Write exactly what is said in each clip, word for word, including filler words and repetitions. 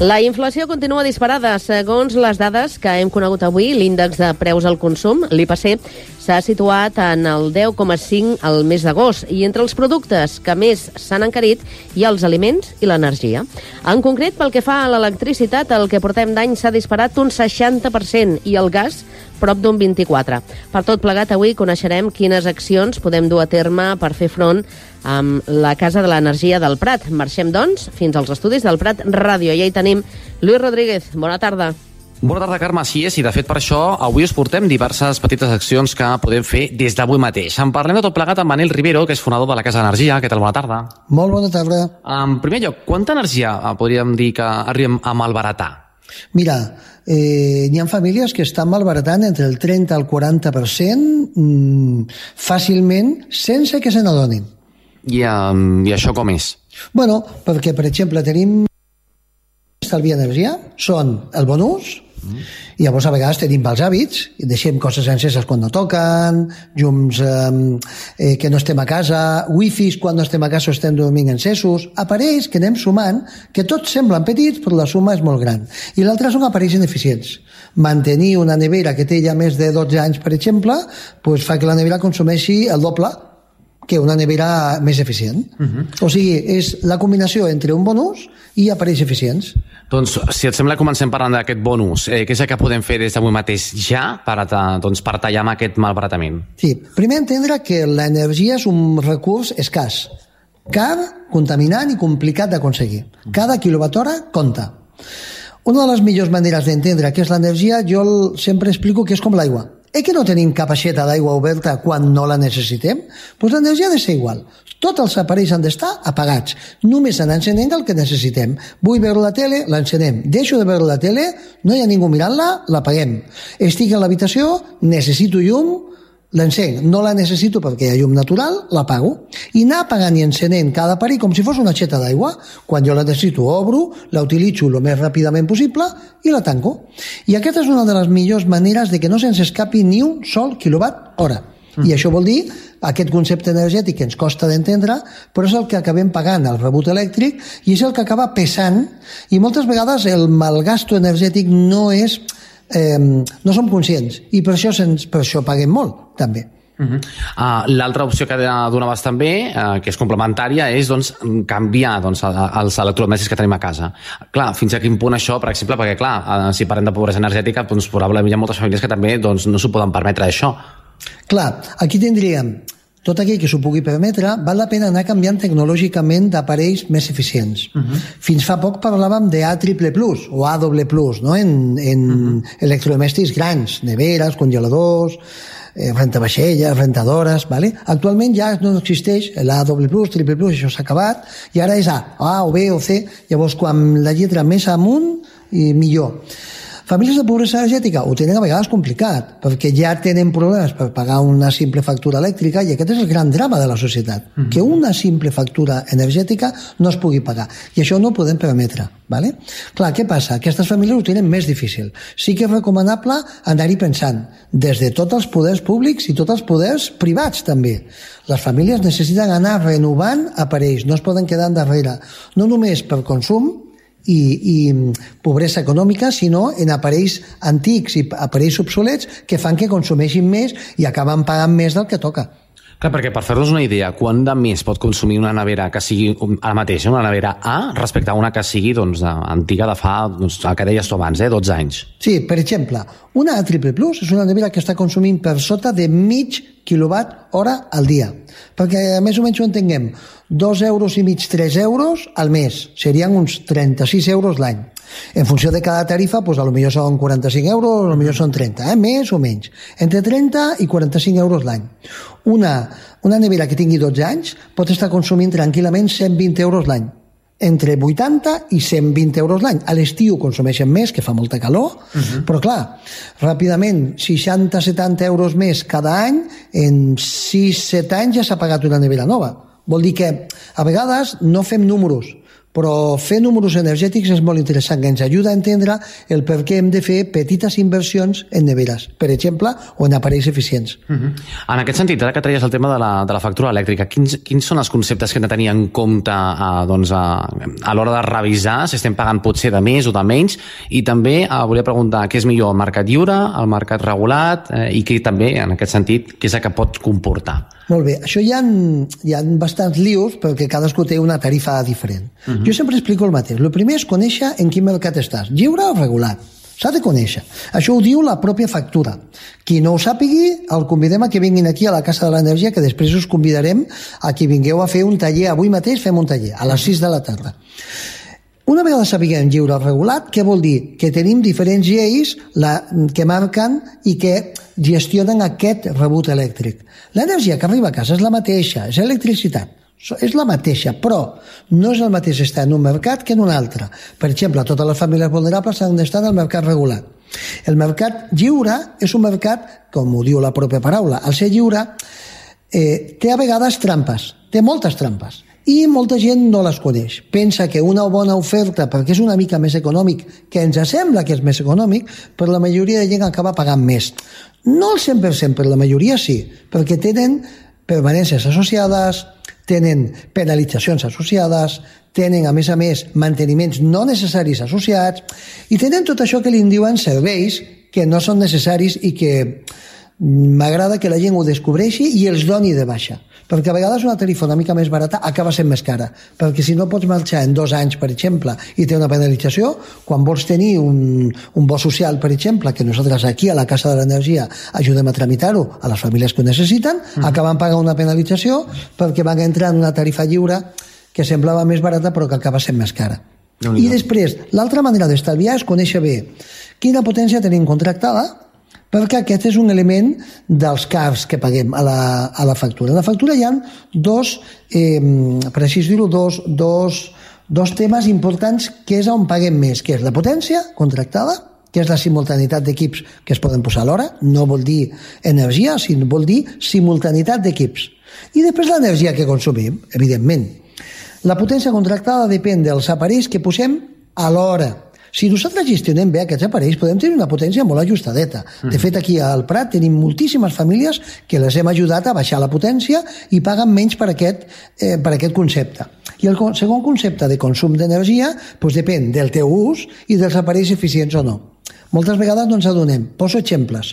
La inflació continua disparada. Segons les dades que hem conegut avui, l'índex de preus al consum, l'I P C, s'ha situat en el deu coma cinc al mes d'agost i entre els productes que més s'han encarit hi ha els aliments i l'energia. En concret, pel que fa a l'electricitat, el que portem d'any s'ha disparat un seixanta per cent i el gas prop d'un vint-i-quatre per cent. Per tot plegat, avui coneixerem quines accions podem dur a terme per fer front amb la Casa de l'Energia del Prat. Marxem, doncs, fins als estudis del Prat Ràdio. I ahí tenim Lluís Rodríguez. Bona tarda. Bona tarda, Carme. Així és, i de fet per això avui us portem diverses petites accions que podem fer des d'avui mateix. En parlem de tot plegat amb Manel Rivero, que és fonador de la Casa d'Energia. Què tal? Bona tarda. Molt bona tarda. En primer lloc, quanta energia podríem dir que arribem a malbaratar? Mira, eh, hi ha famílies que estan malbaratant entre el trenta al quaranta per cent mmm, fàcilment sense que se n'adonin. I, um, I això com és? Bueno, perquè, per exemple, tenim estalviar energia, són el bon ús, mm. i llavors a vegades tenim mals hàbits, i deixem coses enceses quan no toquen, llums eh, eh, que no estem a casa, wifis quan no estem a casa o estem dormint encesos, aparells que anem sumant, que tots semblen petits però la suma és molt gran. I l'altre són aparells ineficients. Mantenir una nevera que té ja més de dotze anys, per exemple, pues fa que la nevera consumeixi el doble que una nevera més eficient. Uh-huh. O sigui, és la combinació entre un bon ús i aparells eficients. Doncs, si et sembla, comencem parlant d'aquest bon ús. Eh, què és el que podem fer des d'avui mateix ja per, a, doncs, per tallar amb aquest malbaratament? Sí, primer entendre que l'energia és un recurs escàs, car, contaminant i complicat d'aconseguir. Cada quilowatt-hora compta. Una de les millors maneres d'entendre què és l'energia, jo sempre explico que és com l'aigua. Eh que no tenim cap aixeta d'aigua oberta quan no la necessitem? Doncs l'energia ha de ser igual. Tots els aparells han d'estar apagats. Només se n'encenem el que necessitem. Vull veure la tele, l'encenem. Deixo de veure la tele, no hi ha ningú mirant-la, l'apaguem. Estic a l'habitació, necessito llum, l'encenc. No la necessito perquè hi ha llum natural, l'apago. I anar apagant i encenent cada aparell com si fos una aixeta d'aigua. Quan jo la necessito, obro, la utilitzo el més ràpidament possible i la tanco. I aquesta és una de les millors maneres de que no se'ns escapi ni un sol quilowatt hora. Mm. I això vol dir aquest concepte energètic que ens costa d'entendre, però és el que acabem pagant al rebut elèctric i és el que acaba pesant. I moltes vegades el malgasto energètic no és... Eh, no som conscients i per això, sens, per això paguem molt també. Uh-huh. uh, L'altra opció que donaves també, uh, que és complementària, és doncs, canviar doncs, els electrodomèstics que tenim a casa. Clar, fins a quin punt això, per exemple, perquè clar, uh, si parlem de pobresa energètica, doncs, probablement hi ha moltes famílies que també doncs, no s'ho poden permetre això. Clar, aquí tindríem tot aquell que s'ho pugui permetre. Val la pena anar canviant tecnològicament d'aparells més eficients. Uh-huh. Fins fa poc parlàvem de A triple plus o A doble plus, no? en, en uh-huh. electrodomèstics grans, neveres, congeladors, eh, rentavaixelles, rentadores, ¿vale? Actualment ja no existeix l'A doble plus, triple plus, això s'ha acabat, i ara és A, A o B o C, llavors quan la lletra més amunt, i millor. Famílies de pobresa energètica ho tenen a vegades complicat, perquè ja tenen problemes per pagar una simple factura elèctrica i aquest és el gran drama de la societat, mm-hmm. que una simple factura energètica no es pugui pagar. I això no ho podem permetre. ¿Vale? Clar, què passa? Aquestes famílies ho tenen més difícil. Sí que és recomanable anar-hi pensant, des de tots els poders públics i tots els poders privats també. Les famílies necessiten anar renovant aparells, no es poden quedar endarrere, no només per consum, I, i pobresa econòmica, sinó en aparells antics i aparells obsolets que fan que consumeixin més i acaben pagant més del que toca. Clar, perquè per fer-nos una idea, quant de més pot consumir una nevera que sigui ara mateix, una nevera A, respecte a una que sigui doncs, antiga de fa, doncs, el que deies tu abans, eh, dotze anys? Sí, per exemple, una A triple plus és una nevera que està consumint per sota de mig quilowatt hora al dia. Perquè més o menys ho entenguem, dos euros i mig, tres euros al mes, serien uns trenta-sis euros l'any. En funció de cada tarifa, doncs, a lo millor són quaranta-cinc euros, a lo millor són trenta, eh? Més o menys. Entre trenta i quaranta-cinc euros l'any. Una, una nevera que tingui dotze anys pot estar consumint tranquil·lament cent vint euros l'any. Entre vuitanta i cent vint euros l'any. A l'estiu consumeixen més, que fa molta calor, uh-huh. però clar, ràpidament, seixanta a setanta euros més cada any, en sis set anys ja s'ha pagat una nevera nova. Vol dir que a vegades no fem números, però fer números energètics és molt interessant, que ens ajuda a entendre el per què hem de fer petites inversions en neveres, per exemple, o en aparells eficients. Uh-huh. En aquest sentit, ara que traies el tema de la, de la factura elèctrica, quins, quins són els conceptes que hem de tenir en compte a, doncs a, a l'hora de revisar si estem pagant potser de més o de menys? I també eh, volia preguntar què és millor, el mercat lliure, el mercat regulat, eh, i què també, en aquest sentit, què és el que pot comportar? Molt bé, això hi ha, hi ha bastants lius perquè cadascú té una tarifa diferent. Uh-huh. Jo sempre explico el mateix. El primer és conèixer en quin mercat estàs, lliure o regulat. S'ha de conèixer. Això ho diu la pròpia factura. Qui no ho sàpigui, el convidem a que vinguin aquí a la Casa de l'Energia, que després us convidarem a que vingueu a fer un taller. Avui mateix fem un taller, a les sis de la tarda. Una vegada sapiguem lliure o regulat, què vol dir? Que tenim diferents lleis la, que marquen i que gestionen aquest rebut elèctric. L'energia que arriba a casa és la mateixa, és electricitat. És la mateixa, però no és el mateix estar en un mercat que en un altre. Per exemple, totes les famílies vulnerables han d'estar en el mercat regulat. El mercat lliure és un mercat, com ho diu la pròpia paraula, al ser lliure, eh, té a vegades trampes, té moltes trampes, i molta gent no les coneix. Pensa que una bona oferta, perquè és una mica més econòmic, que ens sembla que és més econòmic, però la majoria de gent acaba pagant més. No el cent per cent, però la majoria sí, perquè tenen permanències associades, tenen penalitzacions associades, tenen, a més a més, manteniments no necessaris associats, i tenen tot això que li diuen serveis que no són necessaris i que m'agrada que la gent ho descobreixi i els doni de baixa. Perquè a vegades una tarifa una mica més barata acaba sent més cara, perquè si no pots marxar en dos anys, per exemple, i té una penalització, quan vols tenir un, un bo social, per exemple, que nosaltres aquí a la Casa de l'Energia ajudem a tramitar-ho a les famílies que ho necessiten, mm. acaben pagant una penalització perquè van entrar en una tarifa lliure que semblava més barata però que acaba sent més cara. No, I després, l'altra manera d'estalviar és conèixer bé quina potència tenim contractada, perquè aquest és un element dels cars que paguem a la, a la factura. A la factura hi ha dos, eh, per així dir-ho, dos, dos, dos temes importants que és on paguem més, que és la potència contractada, que és la simultanitat d'equips que es poden posar a l'hora, no vol dir energia, sinó vol dir simultanitat d'equips. I després l'energia que consumim, evidentment. La potència contractada depèn dels aparells que posem a l'hora. Si nosaltres gestionem bé aquests aparells, podem tenir una potència molt ajustadeta. De fet, aquí al Prat tenim moltíssimes famílies que les hem ajudat a baixar la potència i paguen menys per aquest, eh, per aquest concepte. I el segon concepte de consum d'energia doncs depèn del teu ús i dels aparells eficients o no. Moltes vegades no ens adonem. Poso exemples.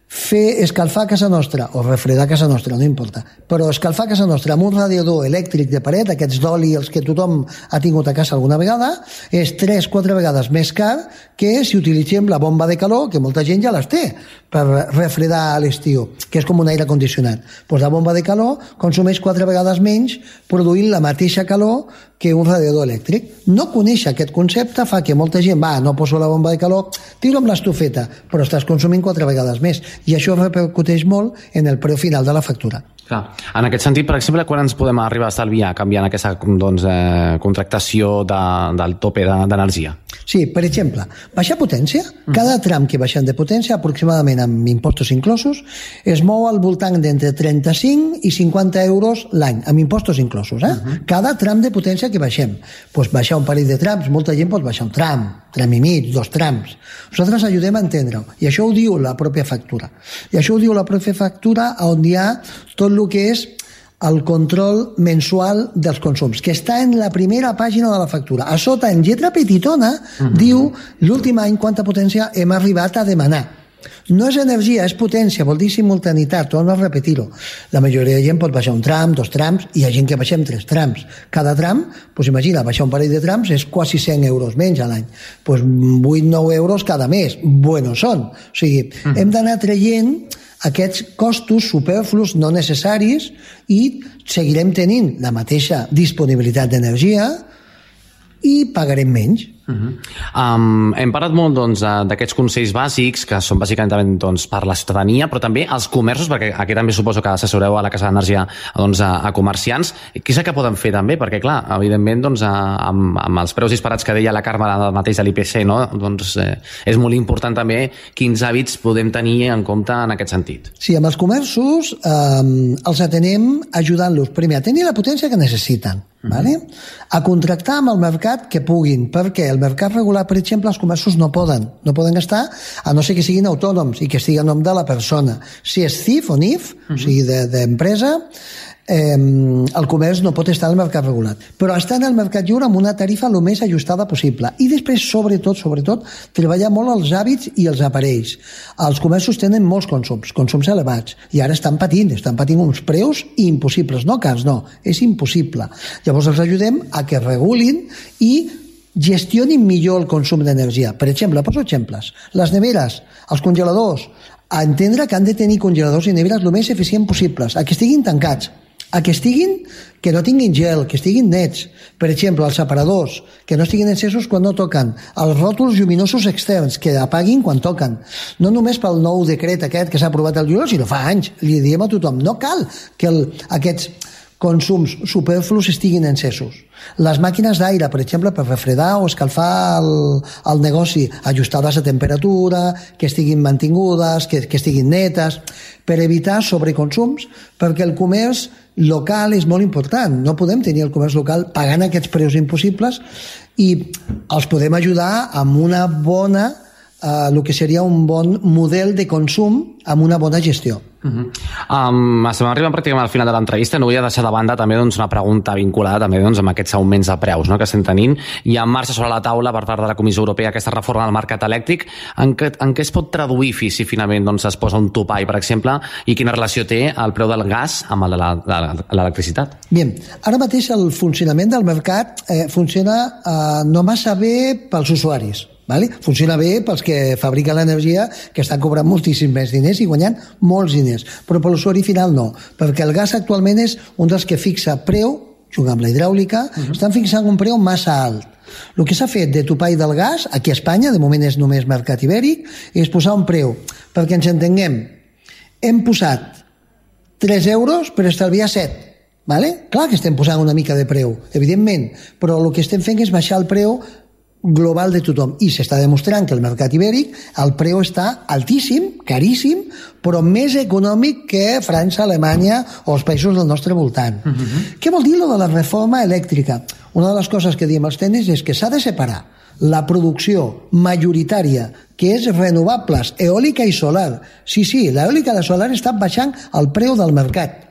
Fer escalfar casa nostra o refredar casa nostra, no importa, però escalfar casa nostra amb un radiador elèctric de paret, aquests d'oli, els que tothom ha tingut a casa alguna vegada, és tres o quatre vegades més car que si utilitzem la bomba de calor, que molta gent ja les té per refredar a l'estiu, que és com un aire condicionat. Pues la bomba de calor consumeix quatre vegades menys produint la mateixa calor que un radiador elèctric. No conèixer aquest concepte fa que molta gent va, no poso la bomba de calor, tiro amb l'estufeta, però estàs consumint quatre vegades més. I això repercuteix molt en el preu final de la factura. Clar. En aquest sentit, per exemple, quan ens podem arribar a estalviar canviant aquesta doncs, eh, contractació de, del tope d'energia? Sí, per exemple, baixar potència, cada tram que baixem de potència, aproximadament amb impostos inclosos, es mou al voltant d'entre trenta-cinc i cinquanta euros l'any, amb impostos inclosos. Eh? Uh-huh. Cada tram de potència que baixem. Pues baixar un parell de trams, molta gent pot baixar un tram, tram i mig, dos trams. Nosaltres ajudem a entendre-ho, i això ho diu la pròpia factura. I això ho diu la pròpia factura on hi ha tot el que és el control mensual dels consums, que està en la primera pàgina de la factura. A sota, en lletra petitona, uh-huh. diu l'últim any quanta potència hem arribat a demanar. No és energia, és potència, vol dir simultanitat, torno a repetir-ho. La majoria de gent pot baixar un tram, dos trams, i hi ha gent que baixem tres trams. Cada tram, doncs imagina, baixar un parell de trams és quasi cent euros menys a l'any. Doncs vuit o nou euros cada mes. Bueno són. O sigui, uh-huh. hem d'anar traient aquests costos superflus no necessaris i seguirem tenint la mateixa disponibilitat d'energia i pagarem menys. Uh-huh. um, hem parlat molt doncs, d'aquests consells bàsics que són bàsicament doncs, per la ciutadania, però també els comerços, perquè aquí també suposo que assessoreu a la Casa d'Energia doncs, a, a comerciants. Què és el que poden fer també? Perquè clar, evidentment doncs, amb, amb els preus disparats que deia la Carme mateix de l'I P C, no? doncs, eh, és molt important també quins hàbits podem tenir en compte en aquest sentit. Sí, amb els comerços eh, els atenem ajudant-los primer a tenir la potència que necessiten, uh-huh. ¿vale? A contractar amb el mercat que puguin, perquè el mercat regular, per exemple, els comerços no poden, no poden gastar, a no ser que siguin autònoms i que estigui a nom de la persona. Si és C I F o N I F, uh-huh. o sigui, d'empresa, eh, el comerç no pot estar al mercat regulat, però està en el mercat lliure amb una tarifa el més ajustada possible. I després, sobretot, sobretot, treballar molt els hàbits i els aparells. Els comerços tenen molts consums, consums elevats, i ara estan patint, estan patint uns preus impossibles, no cars, no, és impossible. Llavors els ajudem a que regulin i gestionin millor el consum d'energia. Per exemple, poso exemples. Les neveres, els congeladors, a entendre que han de tenir congeladors i neveres el més eficient possibles, a que estiguin tancats, a que estiguin, que no tinguin gel, que estiguin nets. Per exemple, els separadors, que no estiguin encesos quan no toquen. Els ròtols lluminosos externs, que apaguin quan toquen. No només pel nou decret aquest que s'ha aprovat el juliol, sinó fa anys. Li diem a tothom, no cal que el, aquests consums superflus estiguin encesos. Les màquines d'aire, per exemple, per refredar o escalfar el, el negoci, ajustades a temperatura, que estiguin mantingudes, que, que estiguin netes, per evitar sobreconsums, perquè el comerç local és molt important. No podem tenir el comerç local pagant aquests preus impossibles i els podem ajudar amb una bona, eh, el que seria un bon model de consum amb una bona gestió. Uh-huh. um, estem arribant pràcticament al final de l'entrevista. No volia deixar de banda també doncs, una pregunta vinculada també doncs, amb aquests augments de preus, no?, que estem tenint. Hi ha en marxa sobre la taula per part de la Comissió Europea aquesta reforma del mercat elèctric. En què, en què es pot traduir si finalment doncs, es posa un topall, per exemple, i quina relació té el preu del gas amb l'electricitat? Bien, ara mateix el funcionament del mercat eh, funciona eh, no massa bé pels usuaris. Vale? Funciona bé pels que fabriquen l'energia, que estan cobrant moltíssims més diners i guanyant molts diners, però per l'usuari final no, perquè el gas actualment és un dels que fixa preu, jugant amb la hidràulica, uh-huh. estan fixant un preu massa alt. El que s'ha fet de topall del gas, aquí a Espanya, de moment és només mercat ibèric, és posar un preu, perquè ens entenguem, hem posat tres euros per estalviar set, vale? Clar que estem posant una mica de preu, evidentment, però el que estem fent és baixar el preu global de tothom, i s'està demostrant que el mercat ibèric, el preu està altíssim, caríssim, però més econòmic que França, Alemanya o els països del nostre voltant. Uh-huh. Què vol dir lo de la reforma elèctrica? Una de les coses que diem als tècnics és que s'ha de separar la producció majoritària, que és renovables, eòlica i solar. Sí, sí, l'eòlica i la solar estan baixant el preu del mercat,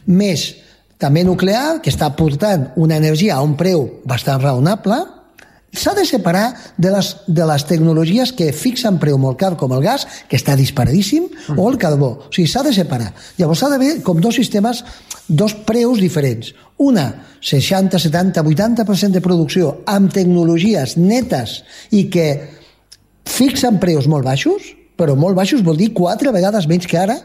més també nuclear, que està portant una energia a un preu bastant raonable. S'ha de separar de les, de les tecnologies que fixen preu molt car, com el gas, que està disparadíssim, mm. o el carbó. O sigui, s'ha de separar. Llavors s'ha d'haver com dos sistemes, dos preus diferents. Una, seixanta, setanta, vuitanta per cent de producció amb tecnologies netes i que fixen preus molt baixos, però molt baixos vol dir quatre vegades menys que ara,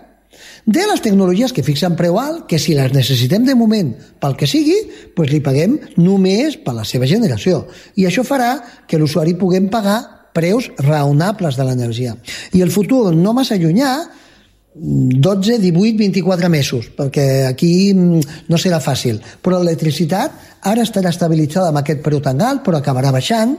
de les tecnologies que fixen preu alt, que si les necessitem de moment pel que sigui, doncs li paguem només per la seva generació. I això farà que l'usuari puguem pagar preus raonables de l'energia. I el futur no massa llunyà, dotze, divuit, vint-i-quatre mesos, perquè aquí no serà fàcil. Però l'electricitat ara estarà estabilitzada amb aquest preu tan alt, però acabarà baixant,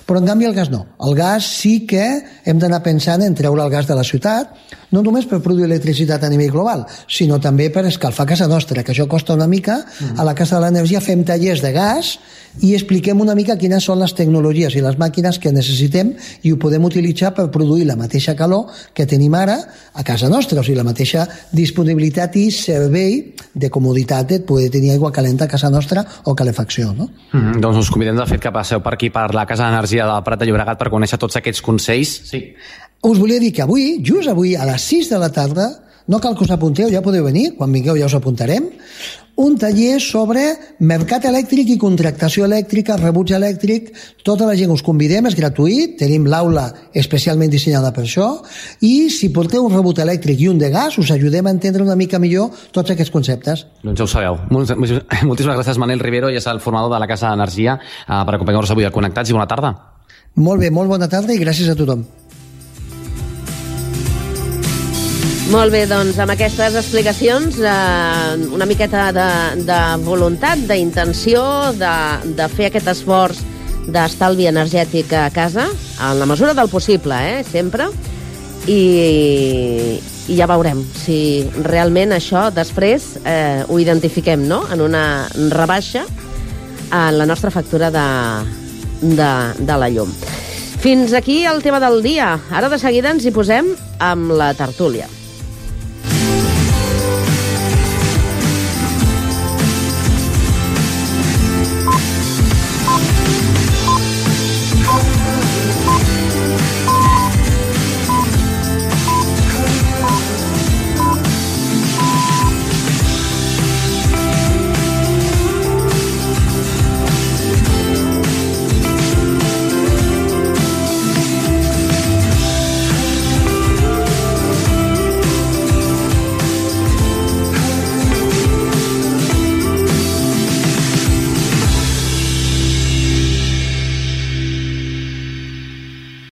però en canvi el gas no. El gas sí que hem d'anar pensant en treure el gas de la ciutat, no només per produir electricitat a nivell global, sinó també per escalfar casa nostra, que això costa una mica. A la Casa de l'Energia fem tallers de gas i expliquem una mica quines són les tecnologies i les màquines que necessitem i ho podem utilitzar per produir la mateixa calor que tenim ara a casa nostra, o sigui, la mateixa disponibilitat i servei de comoditat de poder tenir aigua calenta a casa nostra o calefacció, no? Mm-hmm. Doncs us convidem de fet que passeu per aquí per la Casa d'Energia del Prat de Llobregat per conèixer tots aquests consells. Sí. Us volia dir que avui, just avui, a les sis de la tarda, no cal que us apunteu, ja podeu venir, quan vingueu ja us apuntarem, un taller sobre mercat elèctric i contractació elèctrica, rebuig elèctric. Tota la gent us convidem, és gratuït, tenim l'aula especialment dissenyada per això, i si porteu un rebut elèctric i un de gas, us ajudem a entendre una mica millor tots aquests conceptes. Doncs ja ho sabeu. Moltíssimes gràcies, Manel Rivero, i és el formador de la Casa d'Energia, per acompanyar-nos avui a Connectats, i bona tarda. Molt bé, molt bona tarda i gràcies a tothom. Molt bé, doncs amb aquestes explicacions, eh, una miqueta de, de voluntat, d'intenció, de, de fer aquest esforç d'estalvi energètic a casa, en la mesura del possible, eh, sempre, i, i ja veurem si realment això després eh, ho identifiquem, no?, en una rebaixa en la nostra factura de, de, de la llum. Fins aquí el tema del dia. Ara de seguida ens hi posem amb la tertúlia.